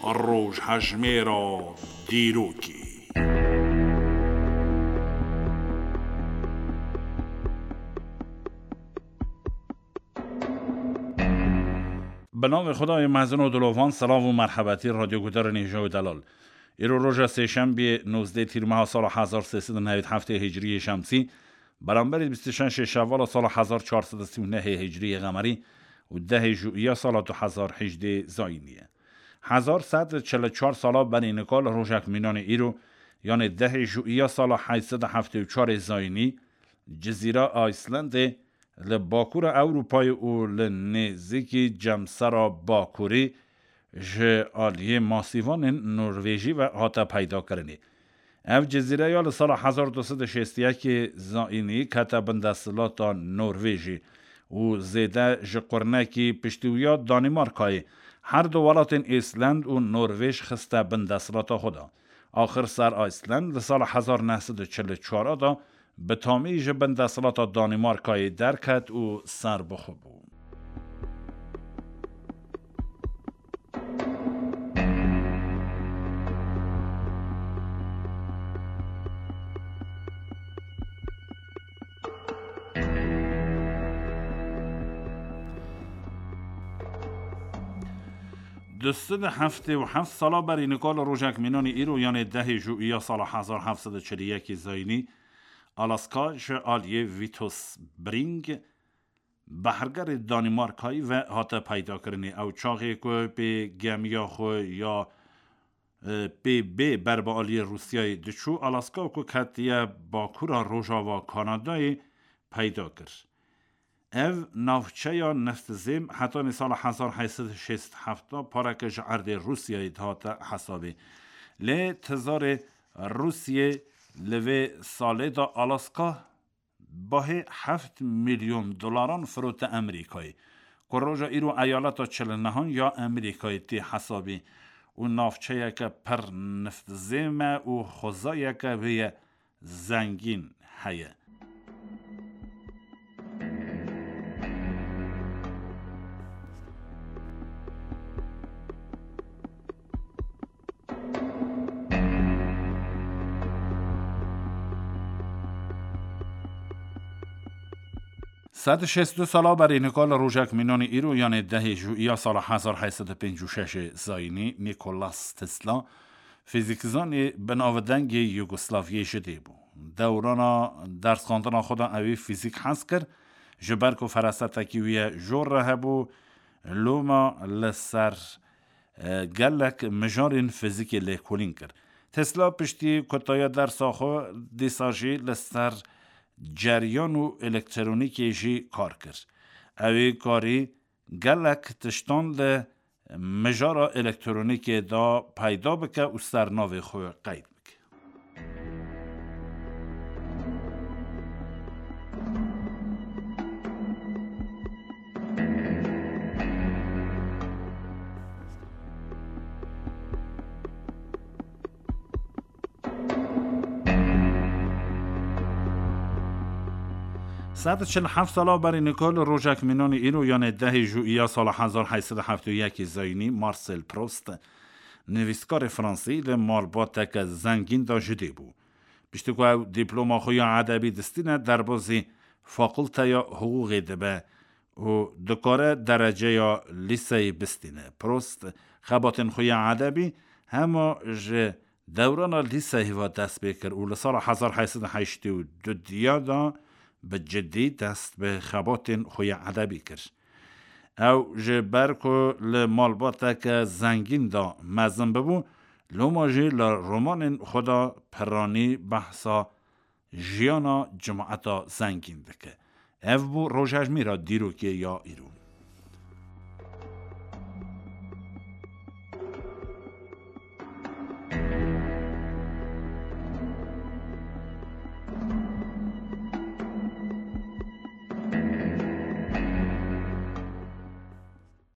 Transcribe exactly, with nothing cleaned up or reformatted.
Rojhejmêra dîrokê. Bi navê Xwedayê mezin û dilovan, silav û merhebetî radyogudarên hêja û delal. Îro roja sêşembiyê, nozdeh tîrmeha sala hezar sê sed û newî heftê hicriyê şemsî, beramberî bîst û şeşê şevala sala hezar çar sed û sî û nehê hicriyê qemerî û dehê jûiya sala du hezar hejdê zayînî ye. Hezar sed û çil û çar sala berî nika li rojek mînanê îro, yanê dehê jûiya sala heyt sed û heftê û çarê zayînî, Cizîra Ayslandê li bakûra Ewropayê û li nêzîkî Cemsera Bakûrî ji aliyê masîvanên Norvêjî ve hate peydakirinê. Ev cizîre ya li sala hezar du sed û şêst û yekê zayînî kete bin desthilata Norvêjî û zêde ji qurnekî piştî wî ya Danîmarkayê her du welatên Îsland û Norvêj xiste bin desthilata xwe de. Axir ser Aysland li sala hezar neh sed û çil û çar de bi tamî ji bin desthilata Danîmarkayê derket û serbixwe bû. Du sed û heftê û heft sala berî nika li rojek mînanî îro, yanê dehê jûiya sala hezar heft sed û çil û yekê zayînî, Alaska ji aliyê Vitus Bering behrgerê Danîmarkayê ve hate peydakirinê. Ew çaxê ku pê gemiya xwe ya, e, pê bê ber bi aliyê Rûsyayê diçû, Alaska ku ketiye bakûra rojava Kanadayê peyda kir. Ev navçeya neftzêm hetanî sala hezar heyt sed û şêst û heft pareke ji erdê Rûsyayê dihate hesabê. Lê tizarê Rûsyê li vê salê de Alaska bahê heft milyon dolaran firote Amerîkayê, ku roja îro eyaleta çil û nehan ya Amerîkayê tê hesabê û navçeyeke pir neftzêm e û xwezayeke wê ye zengîn heye. Sed û şêst û du sala berî nika li rojek mînanî îro, yanê dehê jûiya sala hezar heyt sed û pêncî û şeşê zayînî, Nikolas Tesla, fîzîkzanê binavdengê Yugoslaviyê ji dê bû. Dewrana dersxandina xwe de ewî fîzîk hez kir, ji ber ku ferasetekî wî ye jor re hebû, loma li ser, e, gelek mijarên fîzîkê lêkolîn kir. Tesla piştî kutaya dersa xwe dîsa jî li ser ceryan û elektronîkê jî kar kir. Ewî karî gelek tiştan li mijara elektronîkê de peyda bike û ser navê xwe qeyd bike. Sed û çil û heft sala berî nika li rojek mînanî îro, yanê dehê jûiya sala hezar heyt sed û heft û yekê zayînî, Marcel Proust, nivîskarê fransî, li malbateke zengîn de ji dê bû. Piştî ku ew dîploma xwe ya edebî distîne, derbazî fakulteya hiqûqê dibe û dikare dereceya lîseyê bistîne. Proust xebatên xwe ya edebî hema ji dewrana lîseyê ve dest pê kir û li sala hezar heyt sed û heştê û du diya de bi cidî dest bi xebatên xwe ya edebî kir. Ew ji ber ku li malbateke zengîn de mezin bibû, loma jî li romanên xwe de piranî behsa jiyana cemaeta zengîn dike. Ev bû rojhejmêra dîrokê ya îro.